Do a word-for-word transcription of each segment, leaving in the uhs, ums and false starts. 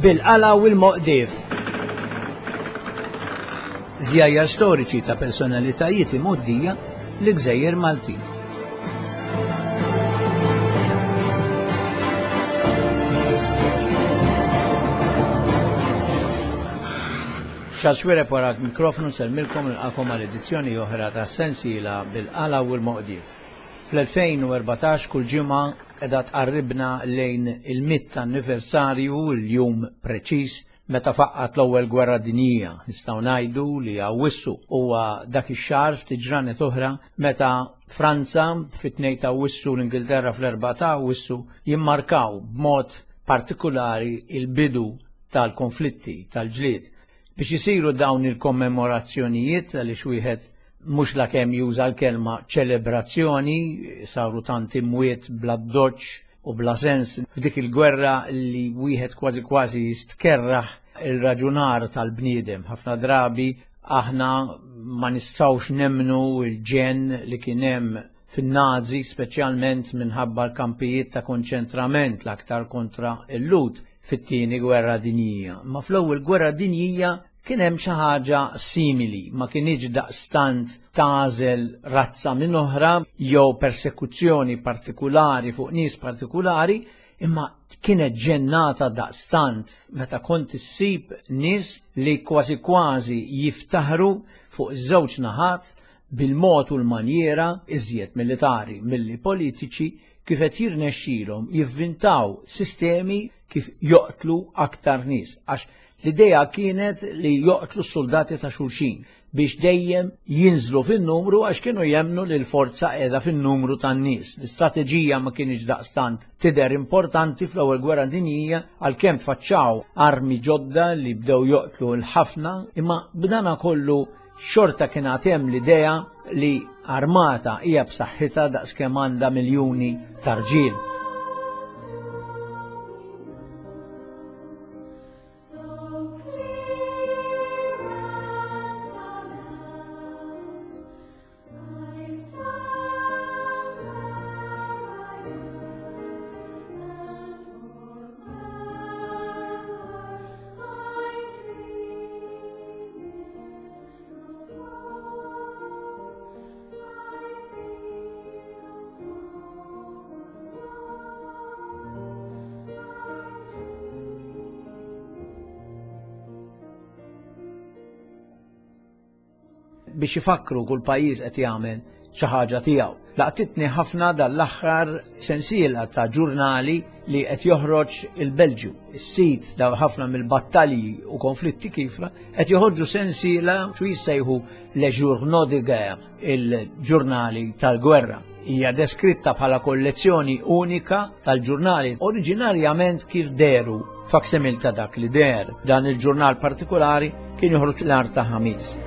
Bil-qala u l-moqdif. Żjajjar storiċi ta' personalitajiet imgħoddija l-Gżejjer Maltin. Charles Xuereb wara mikrofonu sellmilkom nilqagħkom għal edizzjoni oħra ta' sensiela bil-qala u l-moqdif. Fl-elfejn u erbatax kull ġimgħa qiegħda tqarribna lejn il-mitt anniversarju, il-jum preċiż meta faqqat l-ewwel gwerra dinjija. Nistgħu ngħidu li Awwissu huwa dak ix-xahar ftit ġranet oħra meta Franza fit-tnejn ta' Awwissu u l-Ingilterra fl-erbgħa ta' Awwissu jimmarkaw b'mod partikolari il-bidu tal-konflitti tal-ġlied. Biex isiru dawn il-kommemorazzjonijiet għaliex wieħed mhux la kemm juża l-kelma ċelebrazzjoni, saru tant imwiet bla doċ u bla sens f'dik il-gwerra li wieħed kważi kważi jistkerraħ il-raġunar tal-bniedem. Ħafna drabi aħna ma nistgħux nemmnu il-ġen li kien hemm fin-Nazi, speċjalment minħabba l-kampijiet ta' konċentrament l-aktar kontra l-Lhud fit-tieni gwerra dinjija. Ma fl-ewwel gwerra dinjija kien hemm xi ħaġa simili, ma kienx daqstant tażel razza minn oħra jew persekuzzjoni partikulari fuq nies partikulari, imma kienet ġennata daqstant meta kont issib nies li kważi kważi jiftaħru fuq żewġ naħat bil-mod u l-manjera iżjed militari milli politiċi kif qed jirnexxilhom jivvintaw sistemi kif joqtlu aktar nies, għax l-idea kienet li joqtlu s-soldati ta' xulxin biex dejjem jinżlu fin-numru għax kienu jemnu li l-forza qiegħda fin-numru tan-nies. L-istrateġija ma kienx daqstant tidher importanti fl-ewwel gwerra dinjija għalkemm faċċaw armi ġodda li bdew joqtlu l-ħafna, imma b'dana kollu xorta kien għad hemm l-idea li armata hija b'saħħitha daqskemm għandha miljuni ta' rġiel. Biex ifakru kull pajjiż qed jagħmel xi ħaġa tiegħu. Laqtitni ħafna dal-aħħar sensiela ta' ġurnali li qed joħroġ il-Belġju. Is-sit daw ħafna mill-battalji u konflitti kifra qed joħorġu sensiela xu jissejħu Le Journaux de Guerre, il-ġurnali tal-gwerra. Hija deskritta bħala kollezzjoni unika tal-ġurnali oriġinarjament kif deru faksimil ta' dak li deher. Dan il-ġurnal partikolari kien joħroġ l-nhar ta' Ħamis.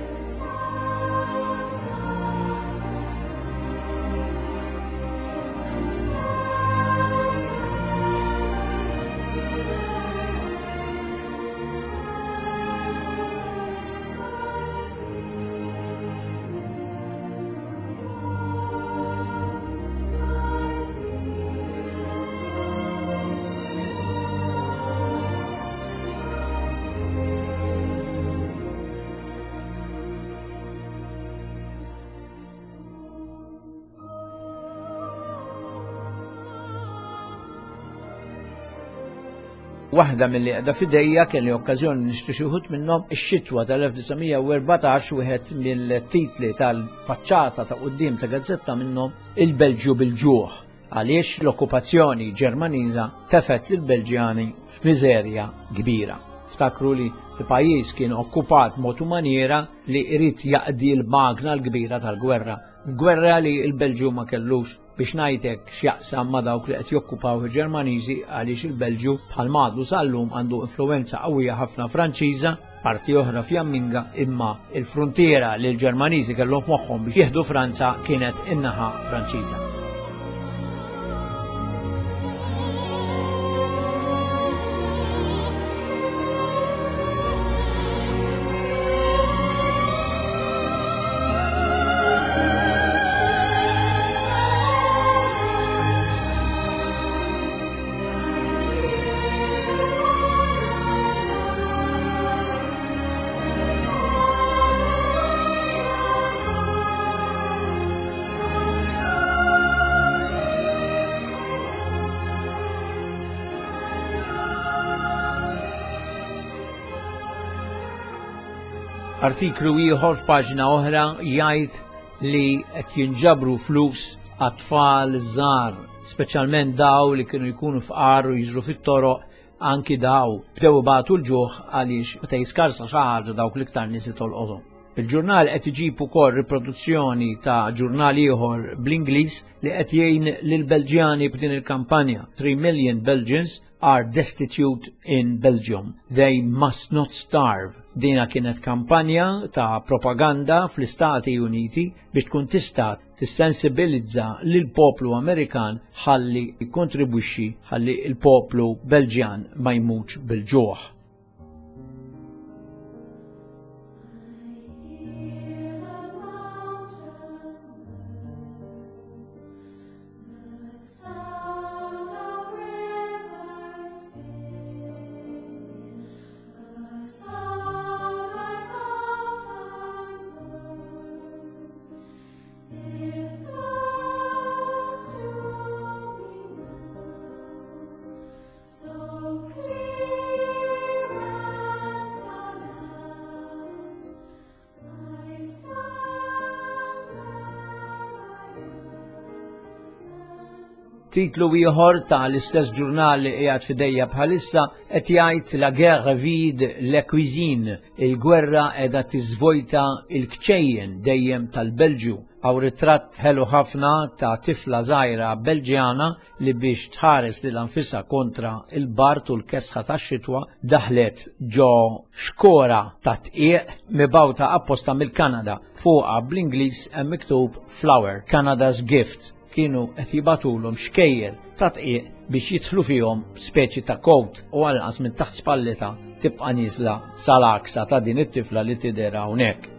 Waħda mill-li qiegħda f'idejja kelli okkażjoni nixtri xi wħud minnhom ix-xitwa tal-elf disa' mija u erbatax, wieħed mill-titli tal-faċċata ta' quddiem ta' gazzetta minnhom il-Belġju bil-ġuħ, għaliex l-okkupazzjoni Ġermaniża tefet lill-Belġjani f'miżerja kbira. Ftakru li l-pajjiż kien okkupat mod u maniera li jrid jaqdi l-magna l-kbira tal-gwerra. Gwerra li l-Belġju ma kellux biex ngħidlek x'jaqsam ma' dawk li qed jokkupaw il-Ġermaniżi, għaliex il-Belġju bħal madu sal-lum għandu influenza qawwija ħafna Franċiża, parti oħra Fjamminga, imma il-frontiera li l-Ġermaniżi kellhom f'moħħhom biex jieħdu Franza kienet in-naħa Franċiża. Artiklu ieħor f'paġna oħra jgħid li qed jinġabru flus għat-tfal żgħar, speċjalment daw li kienu jkunu fqar u jiġru fit-toroq, anki daw bdew ibatu l-ġuħ għaliex meta jiskarsa xi ħaġa dawk l-iktar nies li tolqothom. Il-ġurnal qed iġib ukoll riproduzzjoni ta' ġurnal ieħor bl-Ingliż li qed jgħin lill-Belġjani b'din il-kampanja. Three million Belgians are destitute in Belgium. They must not starve. Dina kienet kampanja ta' propaganda fl-Istati Uniti biex tkun tista' tissensibilizza lil poplu Amerikan ħalli jikkontribwixxi ħalli il-poplu Belġjan ma jmutx bil-ġuħ. Titlu ieħor ta' l-istess ġurnal li qiegħed f'idejja bħalissa qed jgħid la guerre vide la cuisine, il-gwerra qiegħda tiżvojta l-kċejjen dejjem tal-Belġju. Hawn ritratt ħelu ħafna ta' tifla żgħira Belġjana li biex tħares lil anfisha kontra il-bart u l-kesħa tax-xitwa daħlet ġo xkora ta' tqiegħ mibgħuta apposta mill-Kanada. Fuqha bl-Ingliż hemm miktub Flower, Canada's Gift. Kienu qed jibatulhom xkejjer ta' tqiegħ biex jidħlu fihom speċi ta' kowt u għalqas minn taħt spallita tibqa' nieżla sal-aksa ta' din it-tifla li tidher hawnhekk.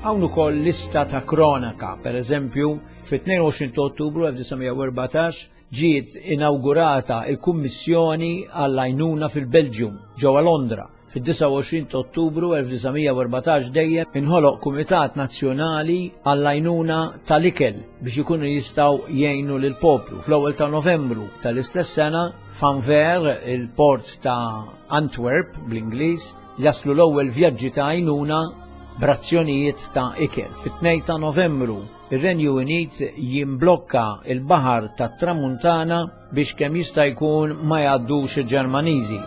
Hawn ukoll lista ta' kronaka, per eżempju, fit-tnejn u għoxrin ta' Ottubru elf disa' mija u erbatax ġiet inaugurata il-Kummissjoni għall-Għajnuna fil-Belġjum ġewwa Londra. Fid-disa u għoxrin ta' Ottubru elf disa' mija u erbatax dejjem inħoloq Kumitat Nazzjonali għall-Għajnuna tal-Ikel biex ikunu jistgħu jgħinu lill-poplu. Fl-ewwel ta' Novembru tal-istess sena f'Anvers, il-port ta' Antwerp bl-Ingliż, jaslu l-ewwel vjaġġi ta' għajnuna b'razzjonijiet ta' ikel. Fit-tnejn ta' Novembru, ir-Renju Unit jimblokka il-Baħar tat-Tramuntana biex kemm jista' jkun ma jgħaddux il-Ġermaniżi.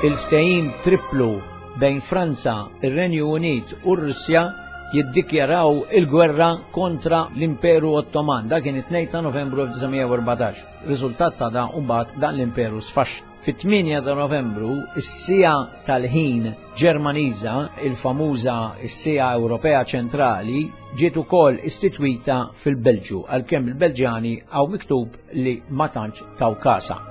Il-ftehim triplu bejn Franza, ir-Renju Unit u r-Russja jiddikjaraw il-gwerra kontra l-Imperu Ottoman. Dak kien it-tnejn ta' Novembru elf disa' mija u erbatax. Riżultat ta' dan mbagħad dan l-Imperu sfaxxa. Fit-tmienja ta' Novembru, is-sija tal-ħin Ġermaniża, il-famuża s-sija Ewropea Ċentrali, ġiet ukoll istitwita fil-Belġju, għalkemm il-Belġjani hawn miktub li ma tantx taw kasa.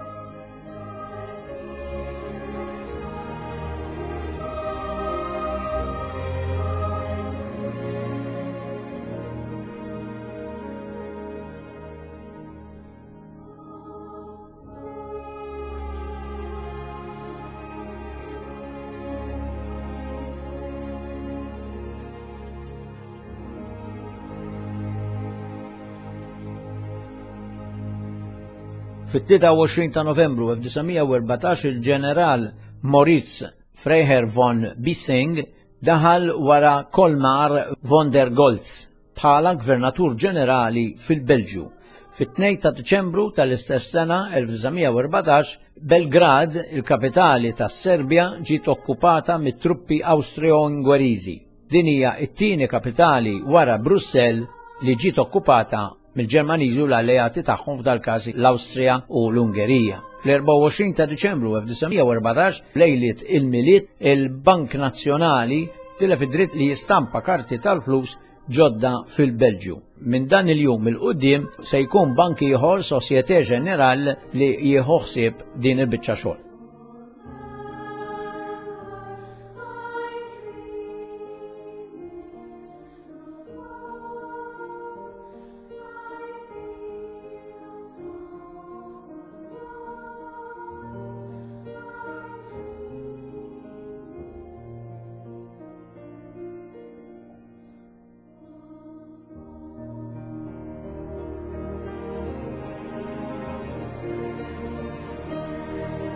Fit-tlieta u għoxrin ta' Novembru elf disa' mija u erbatax il-ġeneral Moritz Freiherr von Bissing daħal wara Colmar von der Goltz bħala Gvernatur Ġenerali fil-Belġju. Fit-tnejn ta' Diċembru tal-istess sena elf disa' mija u erbatax, Belgrad, il-kapitali tas-Serbja, ġiet okkupata mit-truppi Awstro-Ungeriżi. Din hija t-tieni kapitali wara Brussell li ġiet okkupata mill-Ġermaniżi u l-alleati tagħhom, f'dal-każ l-Awstrija u l-Ungerija. Fl-erbgħa u għoxrin ta' Diċembru elf disa' mija u erbatax, lejliet il-Milied, il-Bank Nazzjonali tilef id-dritt li jistampa karti tal-flus ġodda fil-Belġju. Minn dan il-jum il-qudiem se jkun bank ieħor, Société Générale, li jieħu ħsieb din il-biċċa xogħol.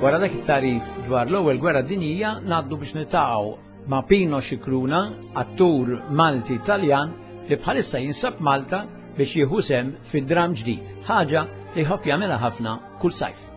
Wara dak it-tarif dwar l-ewwel gwerra dinjija ngħaddu biex niltaqgħu ma' Pino Scicluna, attur Malti Taljan li bħalissa jinsab Malta biex jieħu sehem fi dram ġdid, ħaġa li jħobb jagħmilha ħafna kull sajf.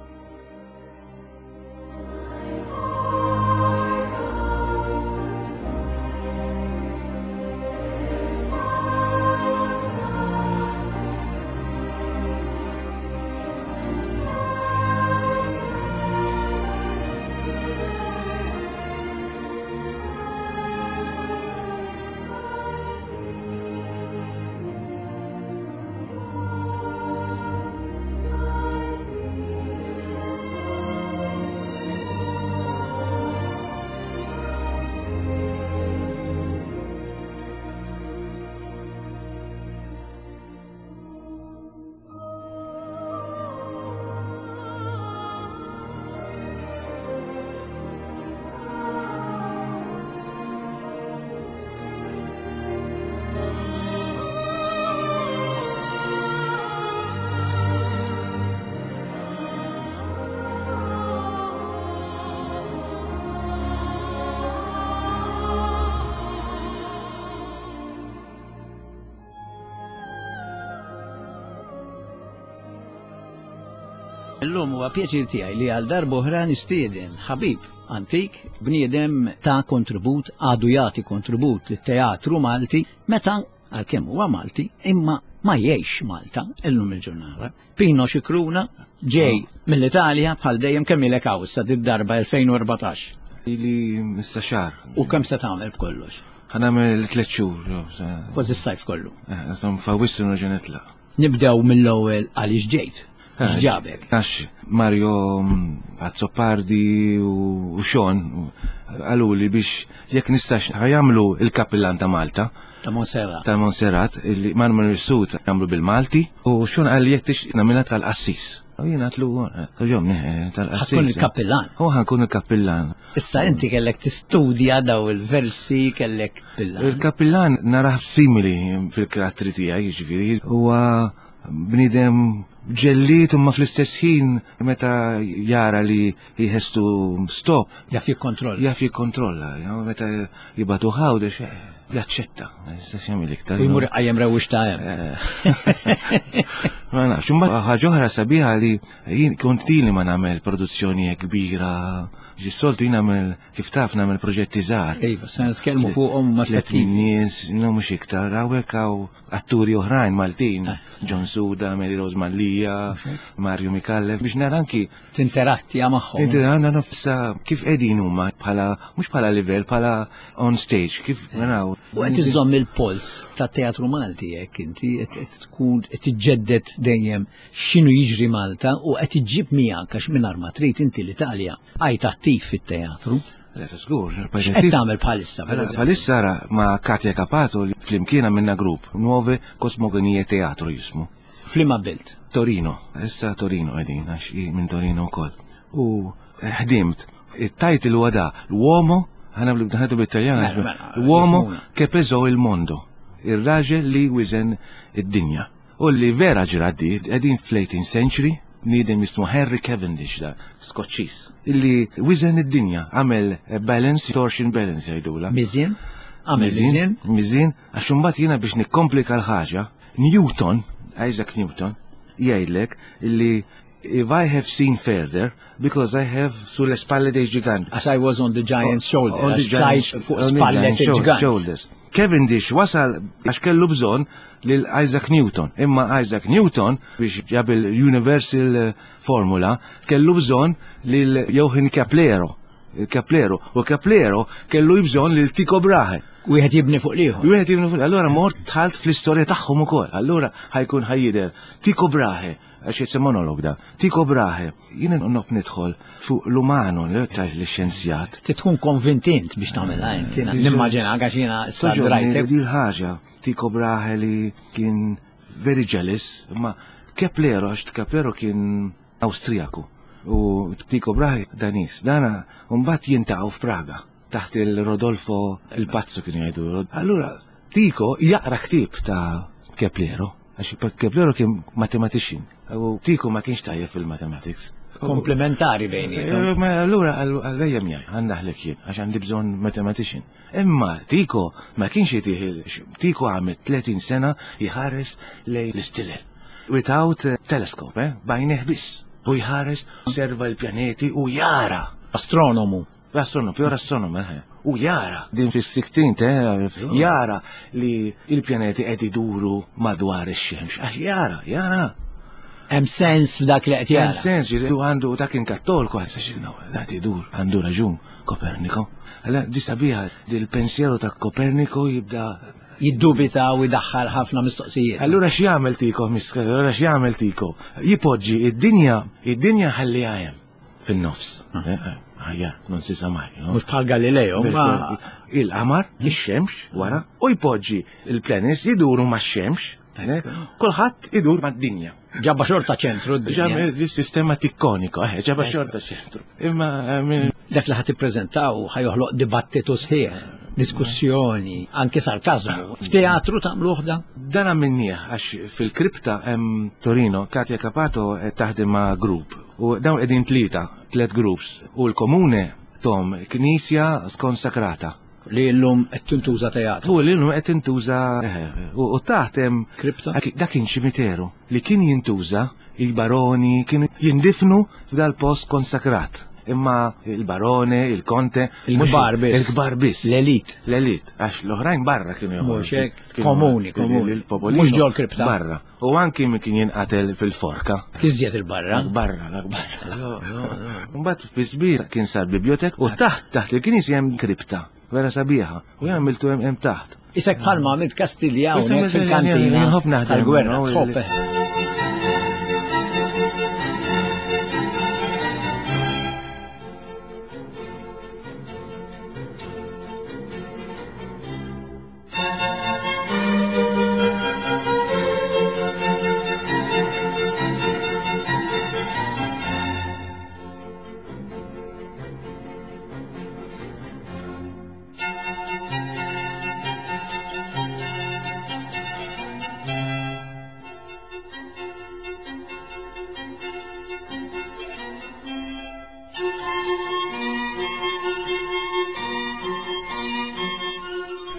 Illum huwa pjaċir tiegħi li għal darb'oħra nistieden ħabib antik, bniedem ta' kontribut, għadu jagħti kontribut lit-teatru Malti, meta għalkemm huwa Malti, imma ma jgħix Malta illum il-ġurnata. Pino Scicluna ġej mill-Italja bħal dejjem, kemm ilek hawn issa did-darba elfejn u erbatax? Ili issa xahar. U kemm se tagħmel b'kollox? Ħa nagħmel tliet xhur, jo, sa- Kważi s-sajf kollu. Eh, insomma, f'Awwissu nerġa' nitlaq. Nibdew mill-ewwel għaliex ġejt. Eh, X'ġabek? Għax Mario Azzopardi u, u Sean qaluli biex jekk nistax ħajamlu il-kappillan ta' Malta. Ta' Montserrat. Ta' Montserrat, illi Manuel Mifsud jagħmlu bil-Malti, u Sean qal li jekk tix nagħmilha tal-qassis. U jien għatlu, ġomni, tal-qassis. Ħatkun il-kappillan. U ħankun il-kappillan. Issa inti kellek tistudja daw il-versi, kellek pillan. Il-kappillan narah simili fil-karattri tiegħi, jiġifieri, huwa bniedem ġelliet imma fl-istess ħin meta jara li jħestu stop. Jaf jikkontrolla. Jaf jikkontrolla, you know, meta jibatu ħawdex, eh, jaċċetta. Istess jagħmel iktar. U jmur iqajjem rewwix ta' hemm. Eh. Ma nafx, imbagħad ħaġa oħra sabiħa li jien kont ili ma nagħmel produzzjoni kbira. Ġis-soltu jien nagħmel, kif taf, nagħmel proġetti żgħar. Iva, se nitkellmu fuqhom ma' Tliet fettivi. nies, no mhux iktar, hawnhekk hawn atturi oħrajn Maltin, Eh. John Suda, Mary Rose Mallia, Mario Micallef, biex nara anki Tinterattija magħhom. Inti għandna nofsa kif qegħdin huma bħala, mhux bħala livell, bħala on stage, kif naraw. U qed iżomm il-pols tat-teatru Malti hekk inti qed qed tkun qed tiġġedded dejjem x'inhu jiġri Malta u qed iġġib miegħek għax mingħajr ma trid inti l-Italja għajt attiv fit-teatru. Le, żgur, X'qed tagħmel bħalissa, per Mela, eżempju? Bħalissa ra ma' Katia Capato li flimkien għamilna grupp, Nuove Cosmogonie Teatro jismu. F'liema belt? Torino, issa Torino qegħdin, għax hi minn Torino wkoll. U ħdimt, it-title huwa da, l-uomo, ħana bl-bdaħnetu bit-Taljan, Mela, mela, l-uomo jifhmuna. che pesò il mondo, ir-raġel li wizen id-dinja. U li vera ġraddi, qegħdin fl-eighteenth century, bniedem jismu Henry Cavendish da, Skoċċiż, illi wiżen id-dinja, għamel balance, torsion balance jgħidula. Miżien? Għamel miżien? Miżien, għax imbagħad jiena biex nikkomplika l-ħaġa, Newton, Isaac Newton, jgħidlek illi if I have seen further, because I have sulle spalle dei giganti. As I was on the giant's shoulder. On the għax tlajt fuq spallet il-ġgant. Shoulders. Cavendish wasal għax kellu bżonn lil Isaac Newton. Imma Isaac Newton biex ġab il-Universal eh, Formula kellu bżonn lil Johann Keplero. Keplero. U Keplero kellu bżonn lil Tycho Brahe. Wieħed jibni fuq l-ieħor. Wieħed jibni fuq. Allura mort dħalt fl-istorja tagħhom ukoll. Allura ħa jkun ħa jidher Tycho Brahe, għax it's a monologue da. Tycho Brahe, jiena nħobb nidħol fuq l-umano l-xjenzjat. Ti tkun konvint int biex tagħmilha int. Jiena nimmaġina għax jiena issa drajtek. Di l-ħaġa, Tycho Brahe li kien very jealous, ma Keplero, għax Keplero kien Awstrijaku u Tycho Brahe Danis. Dana, mbagħad jiltaqgħu f'Praga taħt il-Rodolfo il-Pazzo kien jgħidu. Allura, Tycho jaqra ktieb ta' Keplero, għax Keplero kien mathematician, u Tycho ma kienx tajjeb fil-mathematics. Komplementari bejniethom. Eh, Ma allura għallejja miegħi, għandaħlek jien, għax għandi bżonn mathematician. Imma Tycho ma kienx jitih, Tycho għamel tletin sena jħares lejn l-istilel. Without eh, telescope, eh, b'għajnejh biss. U jħares, osserva l-pjaneti u jara. Astronomu. L-astronomu, pure astronomu, eh. U jara, din fis-sixteenth, eh, jara li il-pjaneti qed iduru madwar ix-xemx. Għax jara, jara. Hemm sens f'dak li qed Hemm jara. sens, ġifieri, u għandu dak kien kattolku, għal sa dat idur, għandu raġun Koperniko. Allora, di sabiħa, il-pensiero ta' Koperniko jibda. Jiddubita u jdaħħal ħafna mistoqsijiet. Allura x'jagħmel Tycho, misker, allura x'jagħmel Tycho? Jipoġġi id-dinja, id-dinja ħalliha hemm fin-nofs. Eh, eh, Ħajja, non si sa mai, no? Mhux bħal Galileo, ma Il-qamar, ix-xemx wara, u jpoġġi il-planets jiduru max-xemx, eh, kulħadd idur mad-dinja. Ġabba xorta ċentru d-dinja. Ġab il-sistema tikkoniko, eh, ġabba xorta ċentru. Imma eh, min- Dak li ħa tippreżentaw ħa joħloq dibattitu sħiħ, diskussjoni, anke sarkazmu. F'teatru tagħmluh dan? Dan għamilnieh għax fil-kripta hemm Torino, Katja Capato qed taħdem ma' grupp. U dawn qegħdin tlieta, tliet groups. U l-komune tom knisja skonsakrata. Li llum qed tintuża teatru. U l-illum qed tintuża eh, u u taħt hemm Kripta? Dak kien ċimiteru li kien jintuża, il-baroni kienu jindifnu f'dal post konsakrat. Imma il-barone, il-konte, Il-kbar biss. Il-kbar biss. L-elit. L-elit, għax l-oħrajn barra kienu joħorġu. Mhux hekk, Kienu- komuni, komuni. Il-popolino Mhux ġol kripta. Barra. U anki min kien jinqatel fil-forka. Iżjed il-barra. Barra, barra. Mbagħad fi sbir kien sar bibliotek u taħt taħt il-knisja hemm kripta. Vera sabiħa. U għamiltu hemm hemm taħt. Isek bħalma għamilt Kastilja Issa hawnhekk meta fil-kantina nħobb naħdem, tal-gwerra. no, Tħobb, il- eh.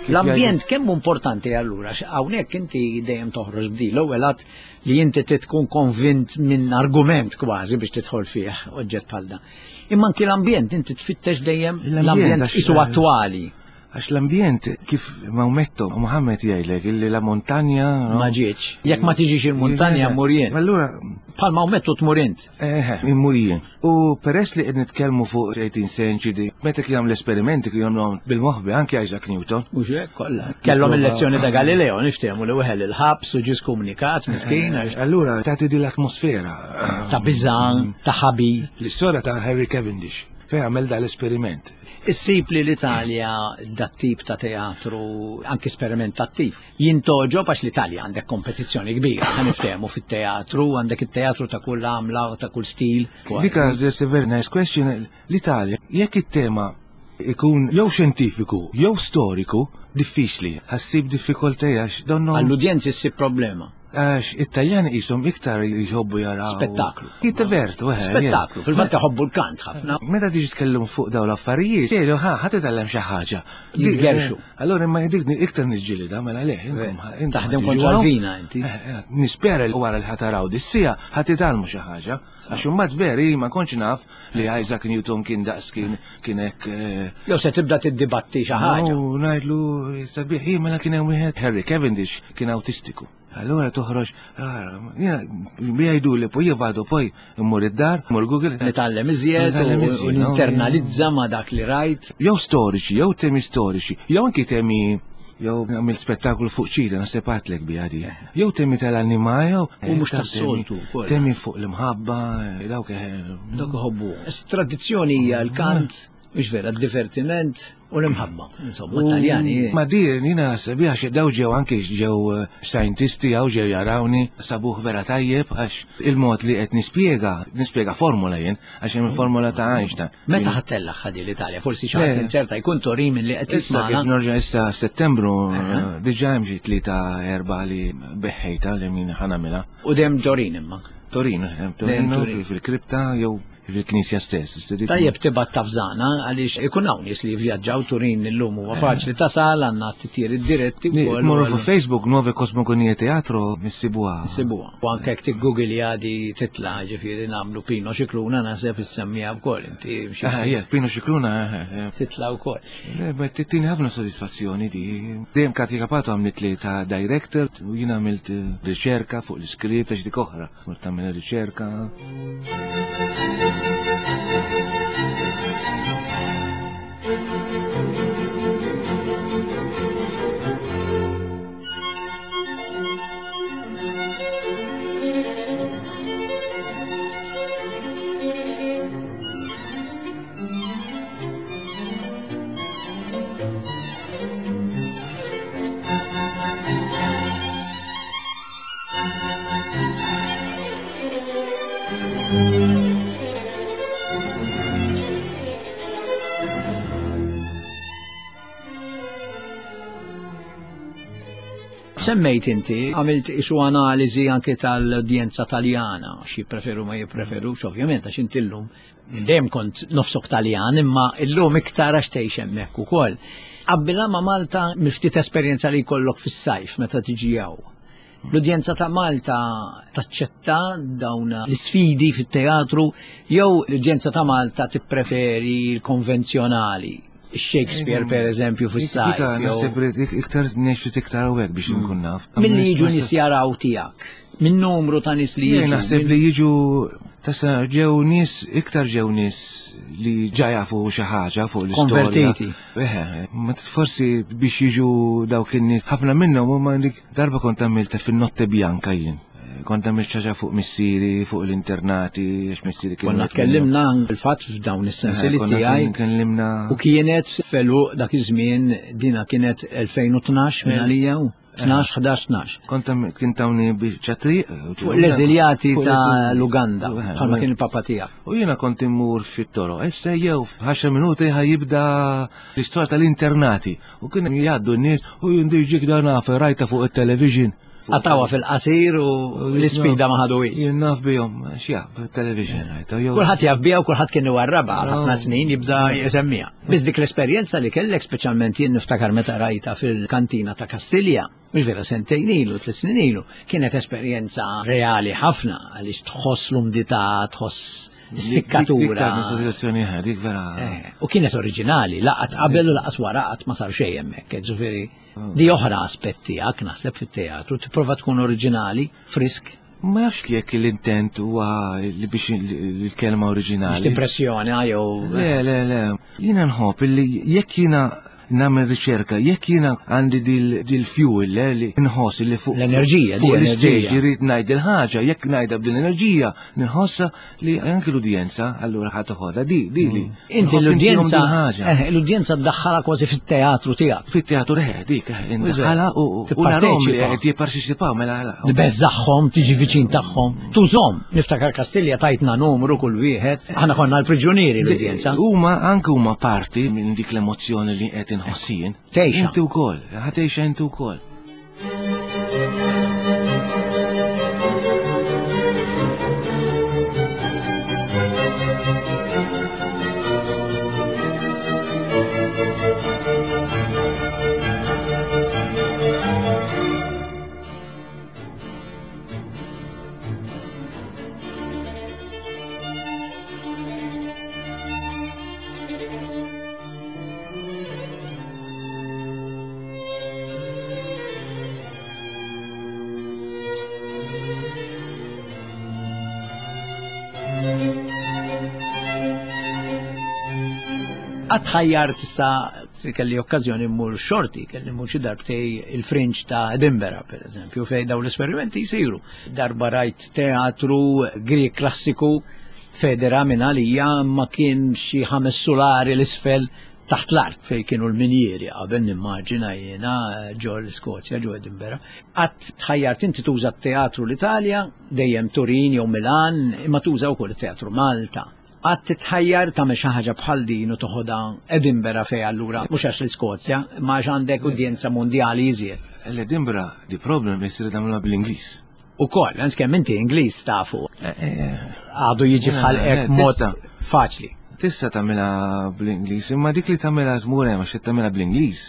L-ambjent kemm importanti allura, hawnhekk inti dejjem toħroġ b'di l-ewwel att li inti trid tkun konvint minn argument kważi biex tidħol fih oġġett bħal dan. Imma anki l-ambjent inti tfittex dejjem l-ambjent għax- isu attwali. Għax l-ambjent kif Maometto, Muhammed jgħidlek illi la montagna, no? Ma ġietx. Jekk ma tiġix il-muntanja mmur jien. Allura, Bħal Maometto tmur int. eh, immur jien. U peress li qed nitkellmu fuq eighteenth century, meta kien l-esperimenti kien jagħmluhom bil-moħbi anke Isaac Newton. U hekk kollha. Kellhom il-lezzjoni ta' Galileo, niftehmu li weħel il-ħabs u ġie skomunikat miskin għax Allura tagħti din l-atmosfera. ta' biżan, ta' ħabi. L-istorja ta' Harry Cavendish fejn għamel dal-esperiment. Issib li l-Italja dat tip ta' teatru anki sperimentattiv. Jintogħġob għax l-Italja għandek kompetizzjoni kbira, ħa niftehmu fit-teatru, għandek it-teatru ta' kull għamla, ta' kull stil. Dika, that's a very nice question. L-Italja, jekk it-tema ikun jew xjentifiku, jew storiku, diffiċli. Ħa ssib diffikultà għax donnu. Għall-udjenzi ssib problema. Għax it-Taljani qishom iktar jħobbu jaraw. Spettaklu. Jittivertu, eh. Spettaklu, fil-fatt iħobbu l-kant ħafna. Meta tiġi tkellem fuq dawn l-affarijiet, serju ħa ħa titgħallem xi ħaġa. Jitgerxu. Allora imma dik iktar niġġielida mela le, intom Taħdem kontra l-vina inti. Nispera li wara li ħa taraw dis-siegħa ħa titgħallmu xi ħaġa. Għax imbagħad veri ma kontx naf li Isaac Newton kien daqs kien kien hekk. Jew se tibda tiddibatti xi ħaġa. U ngħidlu sabiħ mela kien hemm wieħed Harry Cavendish kien autistiku. Allora toħroġ, jgħidu li poi vado poi immur id-dar, immur Google. Nitgħallem iżjed u ninternalizza ma dak li rajt. Jew storiċi, jew temi storiċi, jew anki temi jew għamil spettaklu fuq ċita, naħseb għedtlek biha di. Jew temi tal-annima, jew. U mhux tas-soltu. Temi fuq l-imħabba, dawk. Dawk iħobbu. Tradizzjoni hija l-kant, mhux vera, d-divertiment u l-imħabba. Insomma, Taljani. Ma dir, jiena sabiħ għax daw ġew anki ġew scientisti għaw ġew jarawni, sabuħ vera tajjeb għax il-mod li qed nispjega, nispjega formula jien, għax hemm formula ta' Einstein. Meta ħa ttellagħha di l-Italja? Forsi xi ħadd inserta jkun Torin minn li qed Issa kif nerġa' issa f'Settembru, diġà hemm xi tlieta erba' li beħħejta li min ħa nagħmilha. U dejjem Torin imma. Torino, Torino fil-kripta jew fil-knisja stess. Tajjeb tibgħat tafżana għaliex ikun hawn nies li jivvjaġġaw Turin illum huwa faċli tasal għandna t-titjiriet diretti wkoll. Morru fuq Facebook Nuove Cosmogonie Teatro missibuha. Missibuha. U anke jekk tiggoogle għadi titla' ġifieri nagħmlu Pino Scicluna naħseb issemmija wkoll inti. Ah, Pino Scicluna. Titla' wkoll. Tittini ħafna sodisfazzjoni di. Dejjem Katja Capato għamlet li ta' director u jiena għamilt riċerka fuq l-iskript għax dik oħra. Mort tagħmel riċerka. Semmejt inti, għamilt isu analiżi anke tal-udjenza Taljana, xi preferu ma jippreferux, ovvjament, għax inti llum dejjem kont nofsok Taljan, imma illum iktar għax tgħix hemmhekk ukoll. Qabbilha ma' Malta miftit esperjenza li jkollok fis-sajf meta tiġi hawn. L-udjenza ta' Malta taċċetta dawn l-isfidi fit-teatru jew l-udjenza ta' Malta tippreferi l-konvenzjonali? Shakespeare per eżempju fis-sajf. Naħseb iktar ngħix iktar hawnhekk biex nkun naf. Milli jiġu nies jaraw tiegħek? Min numru ta' nies li jiġu? Naħseb li jiġu tasa ġew nies iktar ġew nies li ġa jafu xi ħaġa fuq l-istorja. Konvertiti. Eħe, ma forsi biex jiġu dawk in-nies ħafna minnhom huma dik darba kont għamilta fin-Notte Bianca jien. Kont għamilt xi ħaġa fuq missieri, fuq l-internati, għax missieri kien. Konna tkellimna fil-fatt f'dawn is-sensieli tiegħi. Kellimna. U kienet felu dak iż-żmien dina kienet elfejn u tnax minn għalija u tnax, ħdax, tnax. Kont kien tawni biċċa triq. Fuq l-eżiljati ta' l-Uganda, bħalma kien il-papa tiegħek. U jiena kont immur fit-toroq, issa jew f'għaxar minuti ħa jibda l-istorja tal-internati. U kien jgħaddu n-nies u jindiġik dan naf rajta fuq it-television. Għatawa fil-qasir u l-isfida ma ħaduwix. Jien naf bihom, x'jaf, television rajta. Kulħadd jaf biha u kulħadd kien iwarrabha għal ħafna snin jibża jsemmiha. Biss dik l-esperjenza li kellek speċjalment jien niftakar meta rajta fil-kantina ta' Kastilja, mhux vera sentejn ilu, tliet snin ilu, kienet esperjenza reali ħafna għaliex tħoss l-umdità, tħoss is-sikkatura. Dik vera. U kienet oriġinali, laqat qabel u laqas wara qatt ma sar xejn hemmhekk, ġifieri di oħra aspett tiegħek naħseb fit-teatru, tipprova tkun oriġinali, frisk. Ma nafx jekk l-intent huwa li biex l-kelma oriġinali. Biex tippressjona jew. Le, le, le. Jiena nħobb li jekk jiena nagħmel riċerka, jekk jiena għandi dil-fuel li nħoss li fuq l-enerġija, fuq l-istage jrid ngħid il-ħaġa, jekk ngħidha b'din l-enerġija, nħossha li anke l-udjenza allura ħa toħodha di di li. Inti l-udjenza, l-udjenza ddaħħalha kważi fit-teatru tiegħek. Fit-teatru eħe, dik indaħħalha u narahom li qed jipparteċipaw mela. Tbeżżagħhom, tiġi viċin tagħhom, tużhom. Niftakar Kastilja tajtna numru kull wieħed, aħna konna l-priġunieri l-udjenza. Huma anke huma parti minn dik l-emozzjoni li qed inħossien. Tgħixha. Inti wkoll, ħa tgħixha inti wkoll. Qatt ħajjar tista' kelli okkażjoni mmur xorti, kelli mmur xi darbtej il-Fringe ta' Edinburgh, per eżempju, fejn dawn l-esperimenti jsiru. Darba rajt teatru Grieg klassiku federa minn għalija ma kien xi ħames sulari l-isfel taħt l-art fej kienu l-minjieri qabel nimmaġina jiena ġo l-Iskozja, ġo Edinburgh. Qatt tħajjart inti tuża t-teatru l-Italja, dejjem Turin jew Milan, imma tuża wkoll it-teatru Malta. Qatt titħajjar tagħmel xi ħaġa bħal din u toħodha Edinburgh fej allura mhux għax l-Iskozja, imma għax għandek udjenza mondjali iżjed. L-Edinburgh, the problem is li tagħmluha bl-Ingliż. Ukoll, għans kemm inti Ingliż tafu. Għadu jiġi f'ħalqek mod faċli. Tista' tagħmilha bl-Ingliż, imma dik li tagħmilha tmur hemm għax tagħmilha bl-Ingliż.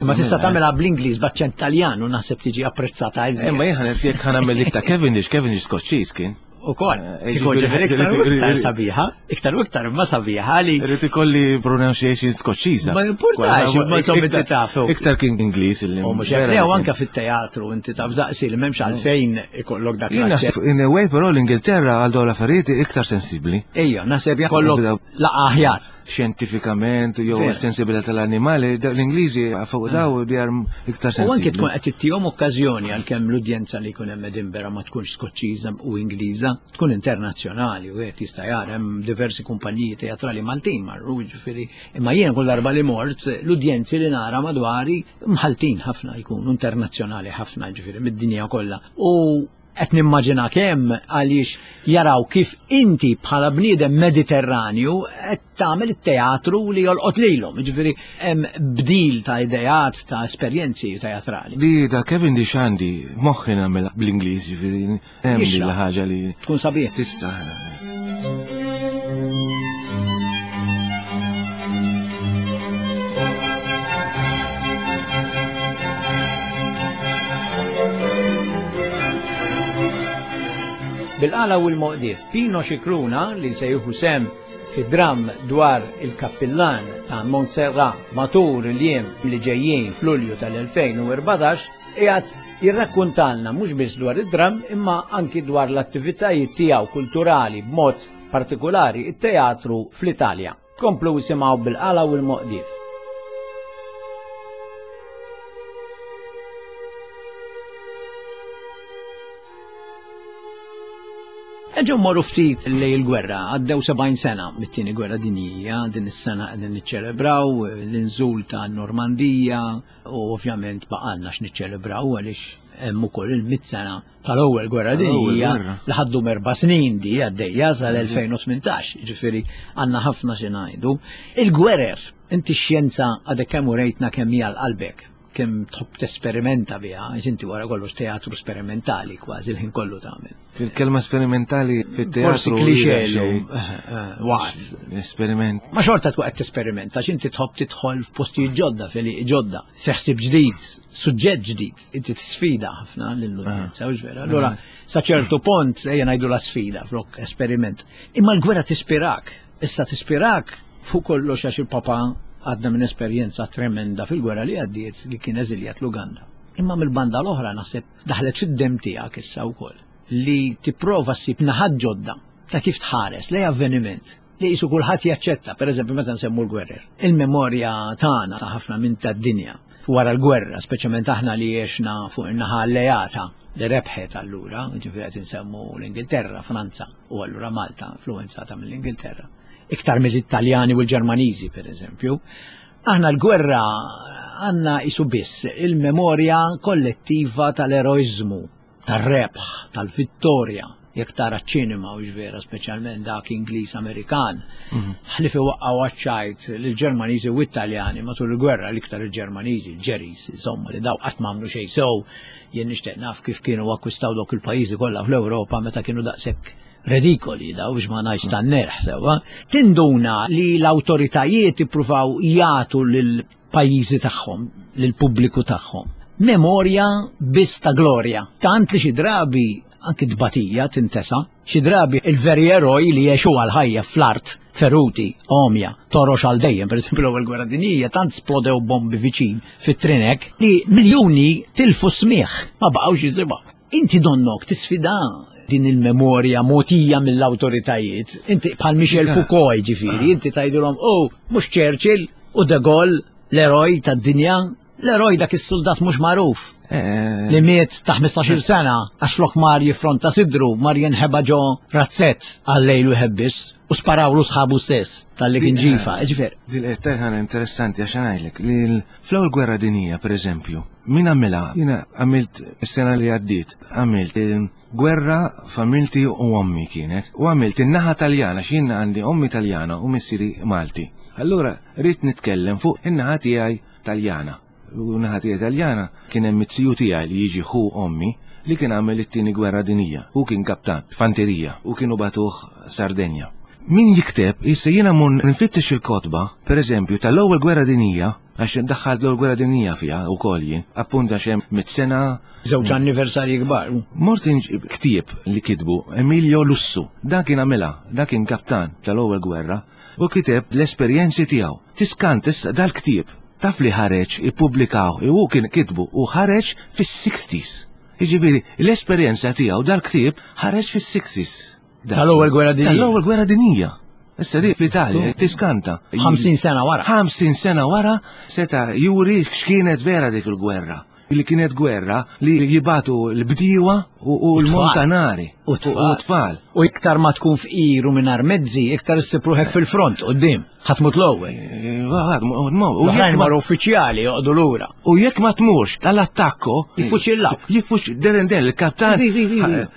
Imma tista' tagħmilha bl-Ingliż b'aċċent Taljan u naħseb tiġi apprezzata iżjed. Imma jien jekk ħa nagħmel dik ta' Cavendish, Cavendish Skoċċiż kien. Ukoll, kieku ġifieri iktar u iktar sabiħa, iktar u iktar imma sabiħa li. Irid ikolli pronunciation Skoċċiża. Ma jimpurtax, imma insomma inti taf. Iktar kien Ingliż illi. U mhux hekk, u anke fit-teatru inti taf daqsi li m'hemmx għalfejn ikollok dak l-aċċent. In a way però l-Ingilterra għal dawn l-affarijiet iktar sensibbli. Ejja, naħseb jkollok laqa aħjar. Xjentifikament jew sensibilità tal-annimali, l-Ingliżi fuq daw they are iktar sensibbli. U anke tkun qed ittihom okkażjoni għalkemm l-udjenza li jkun hemm Edinburgh ma tkunx Skoċċiża u Ingliża, tkun internazzjonali u qed jista' jara hemm diversi kumpaniji teatrali Maltin marru, jiġifieri. Imma jien kull darba li mort l-udjenzi li nara madwari mħaltin ħafna jkunu internazzjonali ħafna, jiġifieri mid-dinja kollha. U qed nimmaġina kemm għaliex jaraw kif inti bħala bniedem Mediterranju qed tagħmel it-teatru li jolqot lilhom, jiġifieri hemm bdil ta' ideat ta' esperjenzi teatrali. Di ta' Cavendish għandi moħħi nagħmel bl-Ingliż, jiġifieri hemm din ħaġa li tkun sabiħ. Tista'. Bil-qala u l-moqdief, Pino Scicluna li se jieħu sem fi dram dwar il-kappillan ta' Montserrat matul il-jiem li ġejjin f'Lulju tal-elfejn u erbatax, qiegħed jirrakkuntalna mhux biss dwar id-dram imma anki dwar l-attivitajiet tiegħu kulturali b'mod partikolari it-teatru fl-Italja. Komplu jisimgħu bil-qala u l-moqdief. Eġu morru ftit lej il-gwerra, għaddew sebgħin sena mit-tieni gwerra dinjija, din is-sena qegħdin niċċelebraw l-inżul ta' Normandija u ovvjament baqalna x'niċċelebraw għaliex hemm ukoll il-mitt sena tal-ewwel gwerra dinjija li ħaddu erba' snin di għaddejja sal-elfejn u tmintax, jiġifieri għandna ħafna xi ngħidu. Il-gwerer, inti x-xjenza għadek kemm urejtna kemm hija l-qalbek, kemm tħobb tesperimenta biha, għax inti wara kollox teatru sperimentali kważi l-ħin kollu tagħmel. Il-kelma sperimentali fit-teatru Forsi klixè llum, waqt. Esperiment. Ma xorta tkun qed tesperimenta, għax inti tħobb tidħol f'postijiet ġodda, f'għelieqi ġodda, fi ħsieb ġdid, suġġett ġdid, inti tisfida ħafna lill-udjenza, hux vera? Allura sa ċertu punt ejja ngħidu la sfida flok esperiment. Imma l-gwerra tispirak, issa tispirak fuq kollox għax il-papa għadna minn esperjenza tremenda fil-gwerra li għaddiet li kien eżiljat l-Uganda. Imma mill-banda l-oħra naħseb daħlet fid-dem tiegħek issa wkoll li tipprova ssib naħat ġodda ta' kif tħares lej avveniment li qisu kulħadd jaċċetta, pereżempju meta nsemmu l-gwerrer. Il-memorja tagħna ta' ħafna minn tad-dinja wara l-gwerra, speċjalment aħna li għexna fuq in-naħa alleata li rebħet allura, ġifieri qed insemmu l-Ingilterra, Franza u allura Malta influenzata mill-Ingilterra. Iktar mill-Italjani u l-Ġermaniżi, per eżempju. Aħna l-gwerra għandna isu biss il-memorja kollettiva tal-eroizmu, tar-rebħ, tal-vittorja. Jekk tara ċ-ċinema u ġvera, speċjalment dak Ingliż Amerikan, ħlifi waqqgħu għaċ-ċajt lill-Ġermaniżi u Italjani matul il-gwerra, l-iktar il-Ġermaniżi, il-Ġeris, insomma, li daw qatt m'għamlu xejn sew. Jien nixtieq naf kif kienu akkwistaw dawk il-pajjiżi kollha fl-Ewropa meta kienu daqshekk redikoli daw biex ma ngħidx tan-nerħ sewwa. Tinduna li l-awtoritajiet ippruvaw jagħtu lill-pajjiżi tagħhom, lill-pubbliku tagħhom, memorja biss ta' glorja. Tant li xi drabi anki tbatija tintesa, xi drabi il-veri eroj li jgħixu għal-ħajja fl-art, feruti, omja, torox għal dejjem, per esempio l-ewwel gwerra dinjija tant splodew bombi viċin fit-trinek li miljuni tilfu smieħ, ma baqgħux jisimgħu. Inti donnok tisfida din il-memorja motija mill-awtoritajiet. Inti bħal Michel Foucault ġifieri, inti tgħidilhom, oh, mhux Churchill u De Gaulle, l-eroj tad-dinja, l-eroj dak is-soldat mhux magħruf. Eh, Li miet ta' ħmistax-il sena għax flok mar jiffronta sidru mar jinħeba ġo razzett għal-lejl u ħebbis u sparawlu sħabu stess tal-li kien ġifa. Ġifieri. Dil qed interessanti għax ngħidlek li fl-ewwel gwerra dinija, pereżempju, min għamilha? Jiena għamilt is-sena li għaddiet, għamilt gwerra familti u ommi kienet, u għamilt in-naħa Taljana, x'jien għandi ommi Taljana u missieri Malti. Allura rrid nitkellem fuq in-naħa tiegħi Taljana. U naħa tiegħi Taljana kien hemm it-tiju tiegħi li jiġi ħu ommi li kien għamel it-tieni gwerra dinija. Hu kien kaptan, fanterija, u kienu batuh Sardenja. Min jikteb, issa jiena mun nfittex il-kotba, per eżempju, tal-ewwel gwerra dinija, għax daħħalt l-ewwel gwerra dinija fiha wkoll jien, appunta xem mit sena. Żewġ anniversarji kbar. Mort ktieb li kitbu Emilio Lussu, dan kien għamilha, dan kien kaptan tal-ewwel gwerra, u kiteb l-esperjenzi tiegħu. Tiskant issa dal-ktieb, taf li ħareġ ippubblikaw, u kien kitbu u ħareġ fis-sixties. Jiġifieri l-esperjenza tiegħu dal-ktieb ħareġ fis-sixties. Tal-ewwel gwerra dinija. Tal-ewwel gwerra dinija. Issa di fl-Italja tiskanta. ħamsin sena wara. ħamsin sena wara seta' juri x'kienet vera dik il-gwerra. Li kienet gwerra li jibatu l-bdiewa u l-montanari. U tfal. U iktar ma tkun fqir u mingħajr mezzi, iktar issib ruħek fil-front quddiem. Ħadd mut l-ewwel. U jekk mar uffiċjali joqogħdu lura. U jekk ma tmurx tal-attakko, jiffuċillaw. Jiffuċ deren den il-kaptan.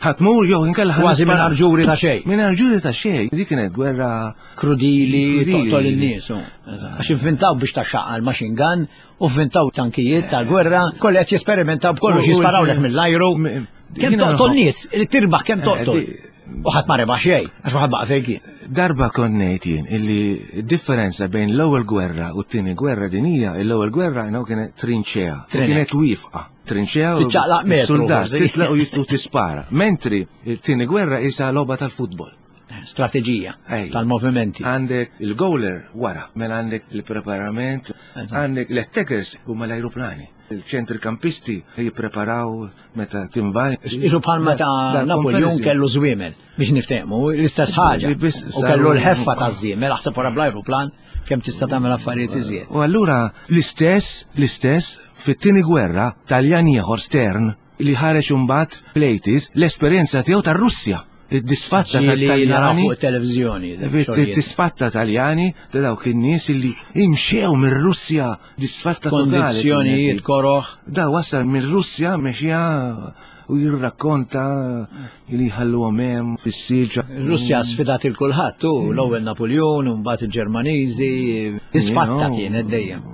Ħadd mur jew inkella kważi mingħajr ġuri ta' xejn. Mingħajr ġuri ta' xejn. Dik kienet gwerra krudili, toqtol in-nies. Għax inventaw biex taxxaqqa l-machine gun u vvintaw tankijiet tal-gwerra, kollu qed jesperimentaw b'kollox, jisparawlek mill-ajru. Kemm toqtol nies, li tirbaħ kemm toqtol. U ħadd ma rebaħ xejn, għax ma ħadd baqa' fejn kien. Darba kont ngħid jien illi d-differenza bejn l-ewwel gwerra u t-tieni gwerra dinija, l-ewwel gwerra jnaw kienet trinċea, kienet wifqa. Trinċea u tiċċaqlaq metru. Soldat titlaq u jitlu tispara. Mentri t-tieni gwerra isa logħba tal-futbol. Strateġija tal-movimenti. Għandek il-goaler wara, mela għandek il-preparament, għandek l-attackers huma l-ajruplani. Il-ċentrikampisti jippreparaw meta tinvaj. Isu bħal meta Napoleon kellu żwiemel biex niftehmu, l-istess ħaġa. U kellu l-ħeffa ta' żwiemel, aħseb wara bl-ajruplan kemm tista' tagħmel affarijiet iżjed. U allura l-istess, l-istess fit-tieni gwerra Taljan ieħor Stern li ħareġ imbagħad fl-eighties l-esperjenza tiegħu tar-Russja. Id-disfatta tal-Taljani fuq televizjoni. Id-disfatta Taljani ta' dawk in-nies illi imxew mir-Russja, disfatta totali. Kondizzjonijiet koroħ. Da wasal mir-Russja mexja u jirrakkonta li ħalluhom hemm fis-silġa. Russja sfidat il kulħadd, u l-ewwel Napoleon u mbagħad il-Ġermaniżi, disfatta kienet dejjem.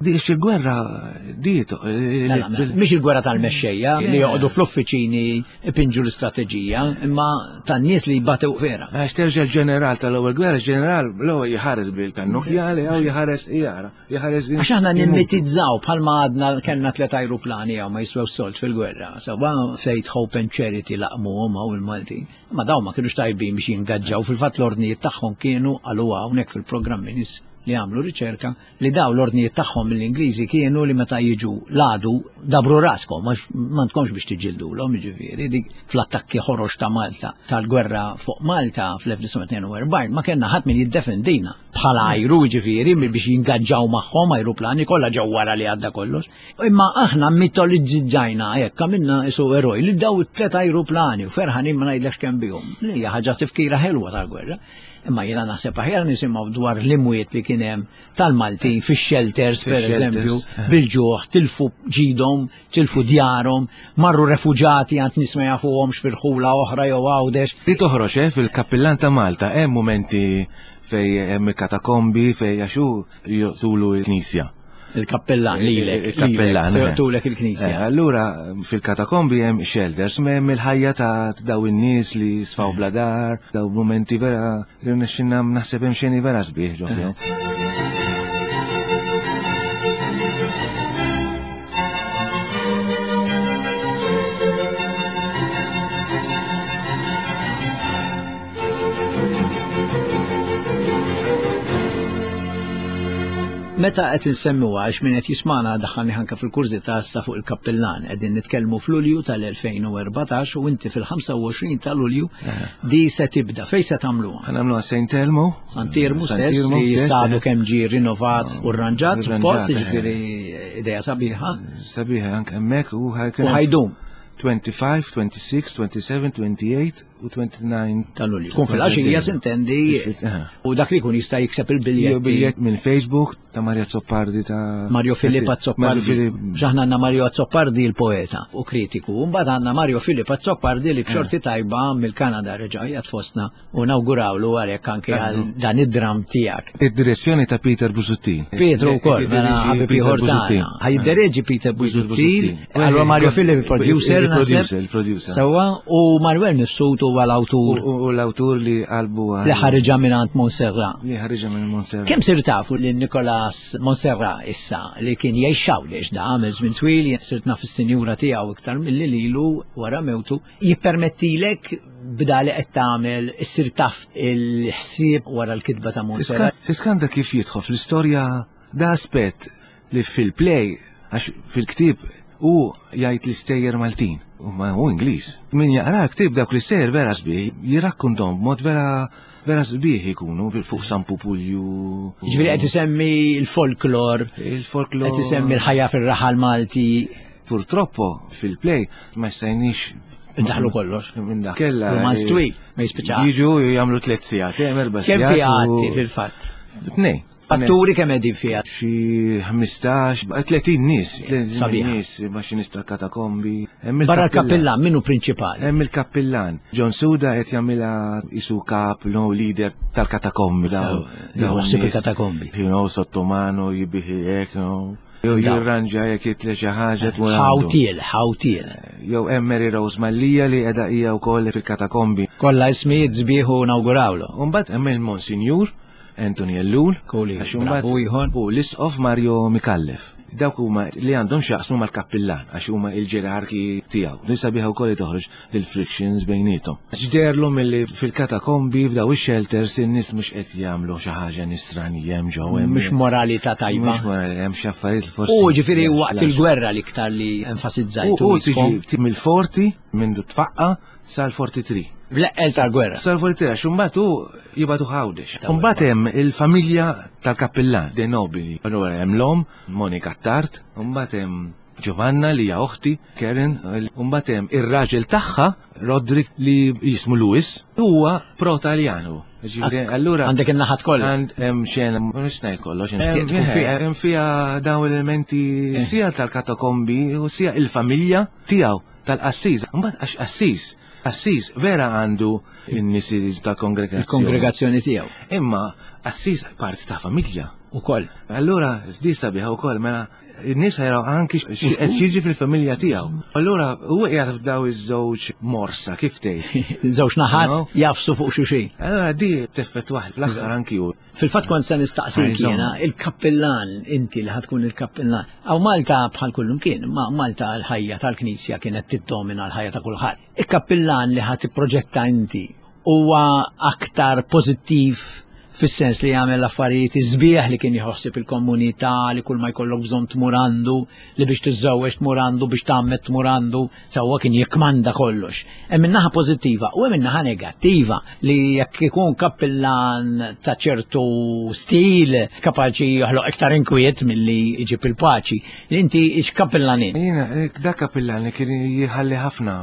Di il-gwerra di Mhix il-gwerra tal-mexxejja li joqogħdu fl-uffiċini ipinġu l-istrateġija, imma tan-nies li jbatew vera. Għax terġa' l-ġeneral tal-ewwel gwerra, ġeneral l-ewwel jħares bil-kannukjali jew jħares jara, jħares. Għax aħna nimmitizzaw bħalma għadna kellna tliet ajruplani jew ma jiswew solt fil-gwerra. Sewwa Faith, Hope and Charity laqmuhom hawn il-Maltin. Ma dawn ma kienux tajbin biex jingaġġaw, fil-fatt l-ordnijiet tagħhom kienu qaluha hawnhekk fil-programmi nies li għamlu riċerka li daw l-ordnijiet tagħhom mill-Ingliżi kienu li meta jiġu l-għadu dabru raskom għax m'għandkomx biex tiġġildulhom, jiġifieri dik fl-attakki ħorox ta' Malta tal-gwerra fuq Malta fl-elf tnejn tnejn u erbgħin ma kellna ħadd min jiddefendina bħala ajru, jiġifieri biex jingaġġaw magħhom ajruplani kollha ġew wara li għadda kollox. Imma aħna mitoliġġajna hekk għamilna isu eroj li daw it-tliet ajruplani u ferħanin ma ngħidlekx kemm bihom. Hija ħaġa tifkira ħelwa tal-gwerra. Imma jiena naħseb aħjar nisimgħu dwar l-imwiet li kien hemm tal-Maltin fix-shelters pereżempju, bil-ġuħ, tilfu ġidhom, tilfu djarhom, marru refuġati għand nies ma jafuhomx fil-ħula oħra jew Għawdex. Di toħroġ eh, fil-kappillan ta' Malta hemm mumenti fej hemm il-katakombi fej għaxu joqtulu l-knisja. Il-kappellan lilek, il-kappellan se joqtulek il-knisja. Allura fil-katakombi hemm shelters, hemm il-ħajja ta' daw in-nies li sfaw bla dar, daw mumenti vera li rnexxinna naħseb hemm xeni vera sbieħ ġo fihom. Meta qed insemmuha, għax min qed jismana daħħalni anke fil-kurżità issa fuq il-kappillan, qegħdin nitkellmu f'Lulju tal-elfejn u erbatax u inti fil-ħamsa u għoxrin ta' Lulju di se tibda. Fejn se tagħmluha? Ħa nagħmluha Saint Elmo. Sant'Iermu Sant stess Iermu li stess, sadu eh. kemm ġie rinnovat u rranġat, Rranġat, suppost, eh. jiġifieri idea sabiħa. Sabiħa anke hemmhekk u U ħajkun ħa jdum twenty-five, twenty-six, twenty-seven, twenty-eight u twenty-nine. Ta' Lulju. Kun fil-għaxija sintendi Eh. u dak li jkun jista' jikseb Jew il-biljetti. biljett minn Facebook ta' Mario Azzopardi ta' Mario Filip Mario Azzopardi. Filip. X'aħna għandna Mario Azzopardi il-poeta u kritiku. Mbagħad għandna Mario Filip Azzopardi li b'xorti tajba mill-Kanada reġa' qiegħed fostna u nawgurawlu għalhekk anke għal dan id-dram tiegħek. Id-direzzjoni ta' Peter Busuttil. Pietro wkoll, mela ħabib Peter ieħor Busuttil. tagħna. Ħa jiddereġi Peter Peter Busuttil, allura Mario Filip il-producer naħseb. Il-producer, il-producer. Sewwa, u Manuel Mifsud huwa l-awtur U u l-awtur li qalbu għal- li ħariġa minn Montserrat. Li ħariġa minn Montserrat. Kemm sir tafu li Nicolas Montserrat issa li kien jgħix Għawdex da għamel żmien twil, sirt naf is-sinjura tiegħu iktar milli lilu wara mewtu, jippermettilek b'da li qed tagħmel issir taf il-ħsieb wara l-kitba ta' Montserrat? Tiskanta kif jidħol fl-istorja da aspett li fil-play, għax fil-ktib u jgħid l-istejjer Maltin, u ma hu Ingliż. Min jaqra ktib dawk l-istejjer vera sbieħ, jirrakkuntom b'mod vera vera sbieħ ikunu fuq San Pupulju. Ġifieri qed isemmi l-folklor, Il-folklor. qed isemmi l-ħajja fir-raħal Malti. Purtroppo fil-play ma stajniex Indaħlu kollox. Minn dak. Kella. Romanz twil, ma jispiċċa. Jiġu jagħmlu tliet sigħat, eh, erba' Kemm sigħat. fiha u- atti fil-fatt? Tnejn. Atturi kemm qegħdin fiha? Xi ħmistax, tletin nies, tletin Sabiħa. nies, ma xi nies tal-katakombi. Hemm Barra il-kappillan. l-kappillan, minnu prinċipali? Hemm il-kappillan. John Suda qed jagħmilha isu kap, no leader tal-katakombi. daw- Sew, daw jħossib n-nies. il-katakombi. You know, sottomano, jibiħi hekk, you know. Jew Daw. jirranġa jekk jitle xi ħaġa tmur għandu. Ħawtiel, ħawtiel. Jew hemm Mary Rose Mallia li qiegħda hija wkoll fil-katakombi. Kollha ismijiet sbieħ u nawgurawlu. U mbagħad hemm il-Monsignur Anthony Ellul, Kuli, għax imbagħad- bravu ieħor. u l-Isqof Mario Mikallef. Dawk huma li għandhom x'jaqsmu mal-kappillan għax huma il-ġerarki tiegħu. Nisa biha wkoll li toħroġ il-frictions bejniethom. Għax deherlu milli fil-katakombi f'daw ix-shelters in-nies mhux qed jagħmlu xi ħaġa nisranija hemm ġew hemm. Mhux moralità tajba. Mhux morali, hemm xi affarijiet forsi. U ġifieri waqt il-gwerra l-iktar li U enfasizzajtu. u tiġi mill-forty minn tfaqqa sal-forty-three. Bl-eqqel tal-gwerra. Sal-forty-three, għax imbagħad hu jibagħtu Għawdex. Imbagħad hemm il-familja tal-kappillan, De Nobili. Allura hemm l-omm, Monika Tart, imbagħad hemm Giovanna li hija oħti, Karen, imbagħad hemm ir-raġel tagħha, Roderick, li jismu Louis, huwa pro-Taljanu. Ġifieri, allura Għandek in-naħat kollha. Għand hemm xena, mhux ngħid kollox, Nixtieq tkun fiha. hemm fiha dawn l-elementi sia tal-katakombi u sia il-familja tiegħu tal-qassis. Mbagħad għax qassis, qassis vera għandu n-nies tal-kongregazzjoni. Il-kongregazzjoni tiegħu. Imma qassis parti ta' familja. Ukoll. Allura, di sabiħa wkoll, mela n-nies jaraw anki x'qed jiġi fil-familja tiegħu. Allura huwa qiegħed f'daw iż-żewġ morsa, kif tgħid. Żewġ naħat No. jafsu fuq xulxin. Allura di teffett waħd fl-aħħar anki hu. Fil-fatt kont se nistaqsik Għajżom. jiena, il-kappillan, inti li ħa tkun il-kappillan. Aw Malta bħal kullum kien, ma Malta l-ħajja tal-Knisja kienet tiddomina l-ħajja ta' kulħadd. Il-kappillan li ħa tipproġetta inti huwa aktar pożittiv fis-sens li jagħmel affarijiet iżbieħ li kien jħossib il-komunità, li kull ma jkollok bżonn tmur għandu, li biex tiżżewweġ tmur għandu, biex tgħammed tmur għandu, sewwa kien jikkmanda kollox. Hemm min-naħa pożittiva u hemm min-naħa negattiva li jekk ikun kappillan ta' ċertu stil kapaċi joħloq iktar inkwiet milli jġib il-paċi. Li inti x'kappillan int? Jiena, dak kappillan li kien jħalli ħafna,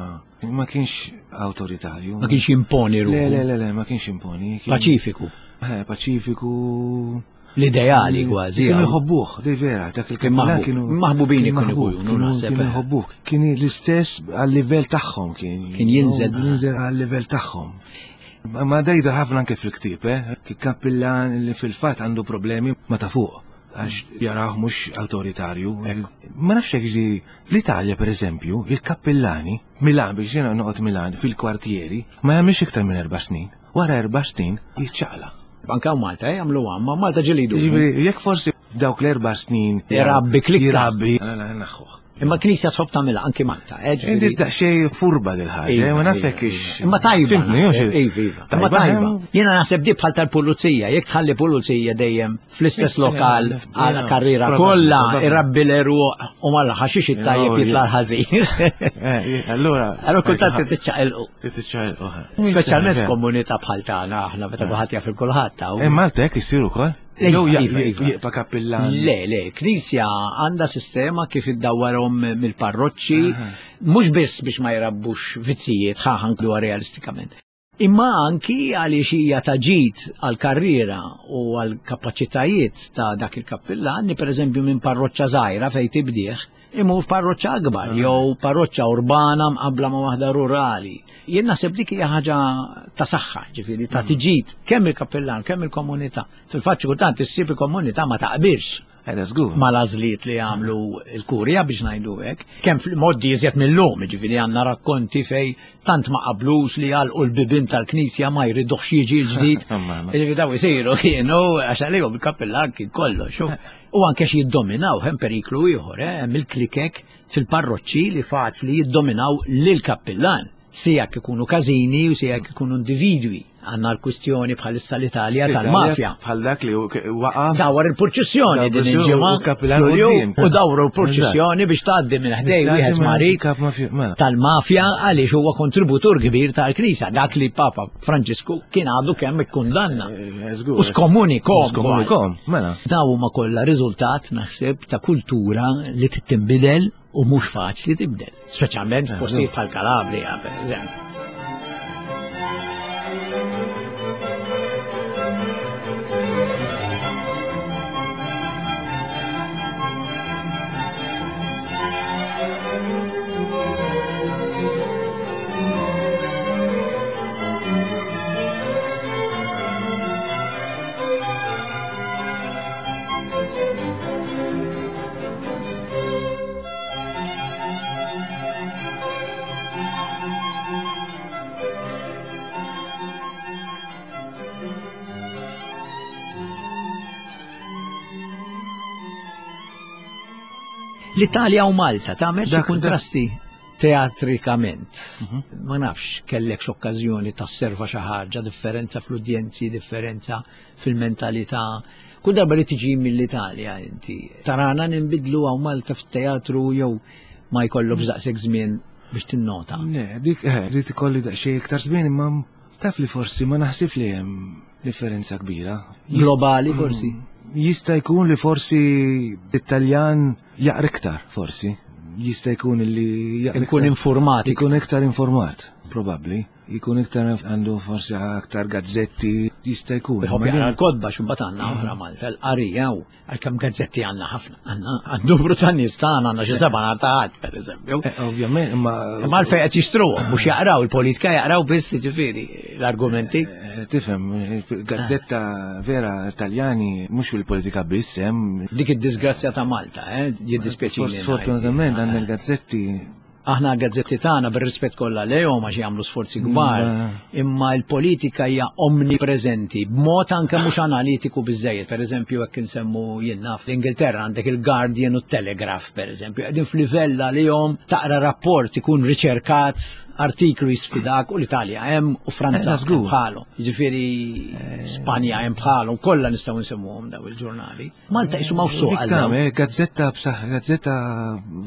ma kienx awtoritarju. Ma kienx jimponi Le, ruħu. le, le, le, ma kienx imponi. Kien- Paċifiku. Eh, paċifiku. L-ideali kważi. Kienu għaw. jħobbuh, di vera, dak Kien il-kappillan maħbub. kienu. Maħbubin kien ikunu maħbub, ikunu, kienu- naħseb, Kienu eh. jħobbuh. Kien l-istess għal-livell tagħhom kien. Kien jinżel. Jinżel għal-livell tagħhom. Ma ma dejda ħafna anke fil-ktieb, eh? Kien kappillan li fil-fatt għandu problemi ma ta' fuq, għax jaraw mhux awtoritarju. Ma nafx hekk ġi l-Italja, per eżempju, il-kappillani, Milan, biex jiena noqgħod Milan, fil-kwartieri, ma jagħmilx iktar minn erba' snin. Wara erba' snin jiċċaqla. Anka Malta, eh, jagħmlu, ma Malta ġelidu. Ġifieri, jekk forsi Dawk l-erba' snin. Irabbi klikka. Irabbi. Naħħuh. Imma l-Knisja tħobb tagħmilha anki Malta. Inti daqsxejn furba dil-ħaġa, ma nafx ix. Imma tajba. Iva, iva. Imma tajba. Jiena naħseb di bħal tal-pulizija, jekk tħalli pulizija dejjem fl-istess lokal għal karriera kollha irabbi l-eruq u mal-ħaxix it-tajjeb jitla' l-ħażin. Allura. Allura kultant titċaqilqu. Titċaqilqu. Speċjalment f'komunità bħal tagħna aħna meta kulħadd jaf il-kulħadd. Malta hekk isir ukoll. Jew jibqa' kappillan. Le, le, Knisja għandha sistema kif iddawwarhom mill-parroċċi, mhux biss biex ma jrabbux vizzijiet ħa ħankluha realistikament. Imma anki għaliex hija ta' ġid għall-karriera u għall-kapaċitajiet ta' dak il-kappillan li pereżempju minn parroċċa żgħira fejn tibdih imur f'parroċċa akbar jew parroċċa urbana mqabbla ma' waħda rurali. Jien naħseb dik hija ħaġa ta' saħħa, ġifieri ta' tiġid kemm il-kappillan, kemm il-komunità. Fil-fatt xi kultant issib il-komunità ma taqbilx ma l-għażliet li għamlu l-kurja biex ngħidu hekk. Kemm fil-moddi iżjed mill-lum, ġifieri għandna rakkonti fej tant ma qablux li għalqu l-bibien tal-knisja ma jridux jiġi l-ġdid. Ġifieri daw isiru kienu għax għalihom il-kappillan kien kollox. U anke xi jiddominaw, hemm periklu ieħor, hemm il-klikek fil-parroċċi li faċli jiddominaw lill-kappillan. Sija jekk ikunu każini u sija jekk ikunu individwi. Għandna l-kwistjoni bħalissa l-Italja tal-mafja. Bħal dak li waqa'. Dawar il-purċissjoni din il-ġimgħa u dawru l-purċissjoni biex tgħaddi minn ħdej wieħed marid tal-mafja għaliex huwa kontributur kbir tal-Knisja, dak li Papa Franġisku kien għadu kemm ikkundanna. U skomunikom. Skomunikom, mela. Daw huma kollha riżultat naħseb ta' kultura li tinbidel u mhux faċli tibdel, speċjalment f'postijiet bħal Calabria, pereżempju. L-Italja u Malta tagħmel xi kuntrasti teatrikament. Ma nafx kellek x'okkażjoni tasserva xi ħaġa, differenza fl-udjenzi, differenza fil-mentalità. Kull darba li tiġi mill-Italja inti tarana ninbidlu hawn Malta fit-teatru jew ma jkollokx daqshekk żmien biex tinnota. Le, dik li tkolli daqsxejn iktar żmien imma taf li forsi ma naħsibx li hemm differenza kbira. Globali forsi. Jista' jkun li forsi l-Italjan jaqra iktar, forsi. Jista' jkun li jaqra ikun informat. Ikun iktar informat, probabbli. Ikun iktar għandu forsi aktar gazzetti, jista' jkun. Iħobb jaqra l-kotba x'imbagħad għandna oħra Malta, l-qarija u għalkemm gazzetti għandna ħafna. Għandna numru ta' nies tagħna għandna xi seba' nhar ta' ħadd, pereżempju. Ovvjament, imma Imma għalfejn qed jixtruhom, mhux jaqraw il-politika jaqraw biss jiġifieri l-argumenti. Tifhem, gazzetta vera Taljani mhux fil-politika biss hemm. Dik id-disgrazzja ta' Malta, eh, jiddispjaċini. Sfortunatament għandna l-gazzetti. Aħna gazzetti tagħna bir-rispett kollha lejhom għax jagħmlu sforzi kbar, imma l-politika hija omnipreżenti b'mod anke mhux analitiku biżejjed. Pereżempju jekk insemmu jien naf l-Ingilterra għandek il-Guardian u t-Telegraph pereżempju, qegħdin f'livell għalihom taqra rapport ikun riċerkat, artiklu jisfidak u l-Italja hemm u Franza bħalu. Jiġifieri Spanja hemm bħalu, kollha nistgħu nsemmuhom daw il-ġurnali. Malta qisu m'hawnx suq għal dawn. Gazzetta b'saħħ, gazzetta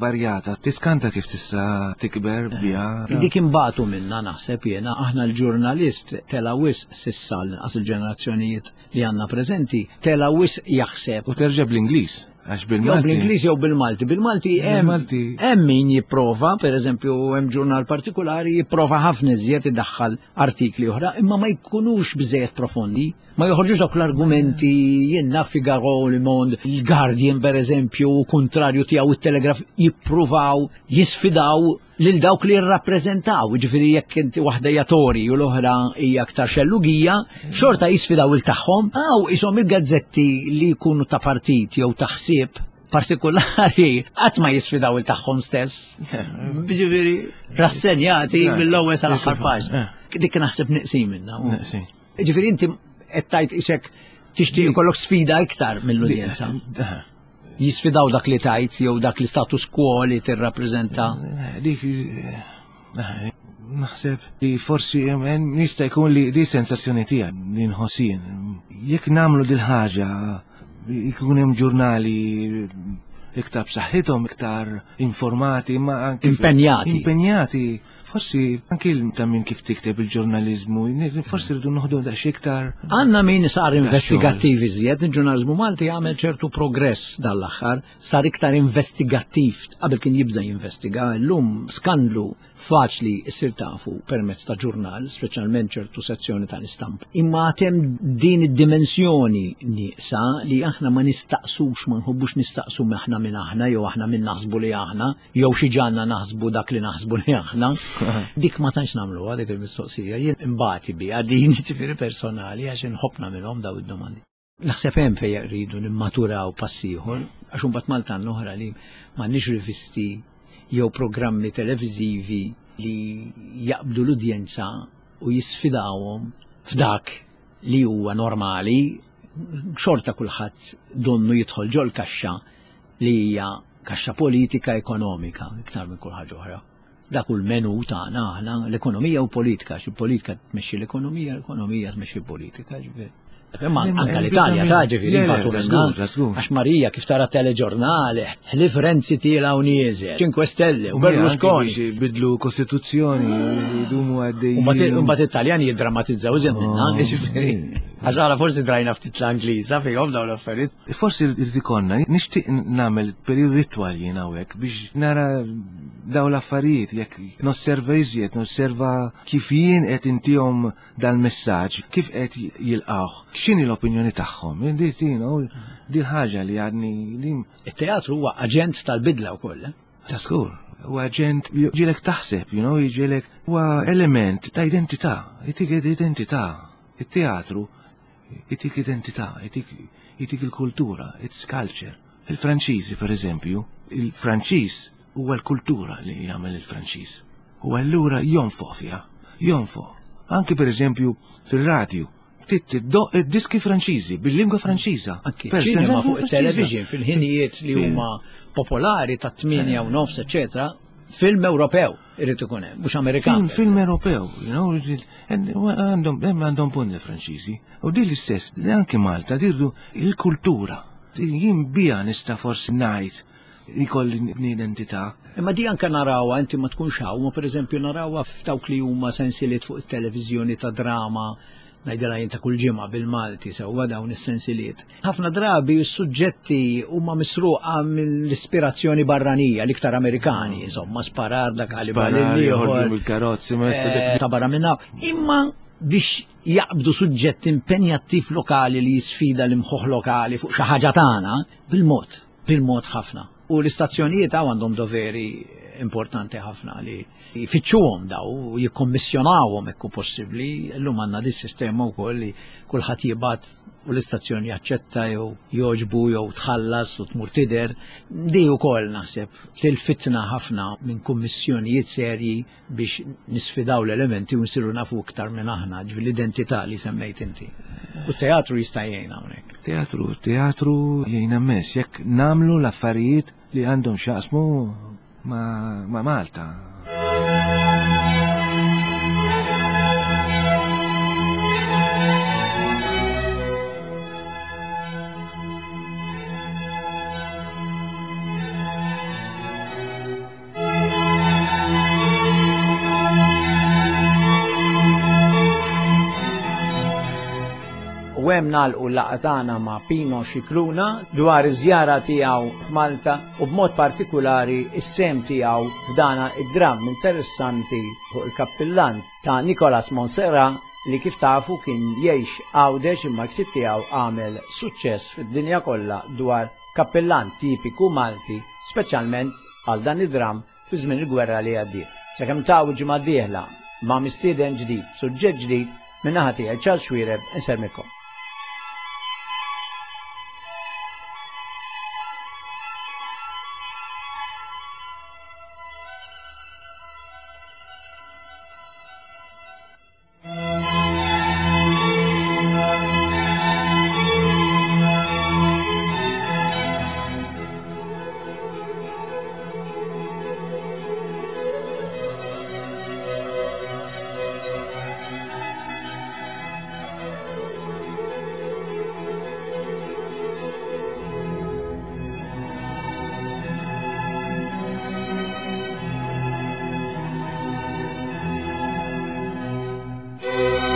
varjata, tiskanta kif tista' tikber biha. Dik imbagħtu minna naħseb jiena aħna l-ġurnalist tela wisq s'issa l-inqas il-ġenerazzjonijiet li għandna preżenti, tela wisq jaħseb. U terġa' bl-Ingliż. Għax bil-Malti. Jew bl-Ingliż jew bil-Malti. Bil-Malti hemm min jipprova, pereżempju hemm ġurnal partikolari jipprova ħafna iżjed idaħħal artikli oħra, imma ma jkunux biżejjed profondi, ma joħorġux dawk l-argumenti jien naf Figaro, Le Monde, il-Guardian pereżempju, u kontrarju tiegħu it-Telegraph jippruvaw jisfidaw lil dawk li jirrappreżentaw, jiġifieri jekk inti waħda hija Tory u l-oħra hija aktar xellugija, xorta jisfidaw il tagħhom, aw ishom il-gazzetti li jkunu ta' partit jew ta' ħsieb partikolari qatt ma jisfidaw il tagħhom stess. Jiġifieri rassenjati mill-ewwel sal-aħħar paġna. Dik naħseb neqsin minna. Neqsin. Jiġifieri inti qed tgħid isek Tixtieq ikollok sfida iktar mill-udjenza. Jisfidaw dak li tajt jew dak li status quo li tirrappreżenta. Dik naħseb li forsi jista' jkun li di sensazzjoni tiegħi li nħossin. Jekk nagħmlu dil-ħaġa jkun hemm ġurnali iktar b'saħħithom, iktar informati, ma anke impenjati. Impenjati. Forsi anke ta' min kif tikteb il-ġurnaliżmu, forsi rridu noħdu daqsxejn iktar. Għandna min sar investigattiv iżjed, il-ġurnaliżmu Malti għamel ċertu progress dal-aħħar, sar iktar investigattiv, qabel kien jibża' jinvestiga, llum skandlu faċli issir tafu permezz ta' ġurnal, speċjalment ċertu sezzjoni tal-istampa. Imma għatem din id-dimensjoni nieqsa li aħna ma nistaqsux, ma nħobbux nistaqsu aħna minn aħna, jew aħna minn naħsbu li aħna, jew xi ġanna naħsbu dak li naħsbu li aħna. Dik ma tantx nagħmluha dik il-mistoqsija, jien imbati biha din ġifieri personali għax inħobbna minnhom daw id-domandi. Naħseb hemm fejn rridu nimmaturaw pass ieħor, għax imbagħad Malta oħra li m'għandniex rivisti jew programmi televiżivi li jaqbdu l-udjenza u jisfidawhom f'dak li huwa normali, xorta kulħadd donnu jidħol ġol kaxxa li hija kaxxa politika ekonomika iktar minn kull ħaġa oħra. Dak hu l-menu tagħna aħna, l-ekonomija u politika, xi politika tmexxi l-ekonomija, l-ekonomija tmexxi l-politika, ġifieri. Imma anke l-Italja ta' ġifieri mbagħad minna. Għax Marija kif tara teleġurnali, ħlief Renzi tiela u nieżel, Cinque Stelle u Berlusconi. Bidlu kostituzzjoni, jdumu għaddej. U mbagħad it-Taljani jiddrammatizzaw iżjed minna, ġifieri. Għax aħna forsi drajna ftit l-Angliża fihom dawn l-affarijiet. Forsi rrid ikollna, nixtieq nagħmel perjodu itwal jien hawnhekk biex nara dawn l-affarijiet, jekk nosserva iżjed, nosserva kif jien qed intihom dal-messaġġ, kif qed jilqgħuh, x'inhi l-opinjoni tagħhom. Din ħaġa li għadni. Il-teatru huwa aġent tal-bidla wkoll. Ta' skur, huwa aġent jġielek taħseb, you know, jġielek huwa element ta' identità, jtik identità. Il-teatru jtik identità, jtik il-kultura, it's culture. Il-Franċiżi, per eżempju, il-Franċiż huwa l-kultura li jagħmel il-Franċiż. U allura jonfoq fiha, jonfoq. Anki per eżempju fil-radju, tiddoq id-diski Franċiżi bil-lingwa Franċiża. Anki ċinema fuq it-television fil-ħinijiet li huma popolari ta' tmienja u nofs, eċetera, film Ewropew irid ikun hemm, mhux Amerikan. Film Ewropew, you know, għandhom għandhom punt il-Franċiżi. U din l-istess, li anki Malta dirdu il-kultura. Jien bija nista' forsi ngħid ikolli identità. Imma di anke narawha, inti ma tkunx hawn, ma pereżempju narawha f'dawk li huma sensiliet fuq it-televiżjoni ta' drama, ngħidilha jien ta' kull ġimgħa bil-Malti sewwa dawn is-sensiliet. Ħafna drabi s-suġġetti huma misruqa mill-ispirazzjoni barranija, l-iktar Amerikani, insomma, sparar dak għalibal ieħor. Il-karozzi, ma ta' barra minna. Imma biex jaqbdu suġġett impenjattiv lokali li jisfida l-imħuħ lokali fuq xi ħaġa tagħna, bil-mod, bil-mod ħafna. U l-istazzjonijiet għandhom doveri importanti ħafna li jfittxuhom daw u jikkommissjonawhom hekk possibbli. Illum għandna dis sistema wkoll li kulħadd jibgħat u l-istazzjoni jaċċetta jew jogħġbu jew tħallas u tmur tidher. Di wkoll naħseb tilfitna ħafna minn kummissjonijiet serji biex nisfidaw l-elementi u nsiru nafu iktar minn aħna, ġifieri l-identità li semmejt inti. U t-teatru jista' jgħin hawnhekk. Teatru, teatru jgħin immens jekk nagħmlu l-affarijiet li għandhom x'jaqsmu ma, ma Malta. U hemm nagħlqu l-laqgħa tagħna ma' Pino Scicluna dwar iż-żjara tiegħu f'Malta u b'mod partikulari is-sem tiegħu f'dana id-dramm interessanti fuq il-kappillan ta' Nicolas Monserrat li kif tafu kien jgħix Għawdex imma l-ktieb tiegħu għamel suċċess fid-dinja kollha dwar kappillan tipiku Malti, speċjalment għal dan id-dramm fi żmien il-gwerra li għaddiet. Sakemm taw ġimgħa d-dieħla ma' mistieden ġdid, suġġett ġdid, minn naħa tiegħi Charles Xuereb insermikom. Thank you.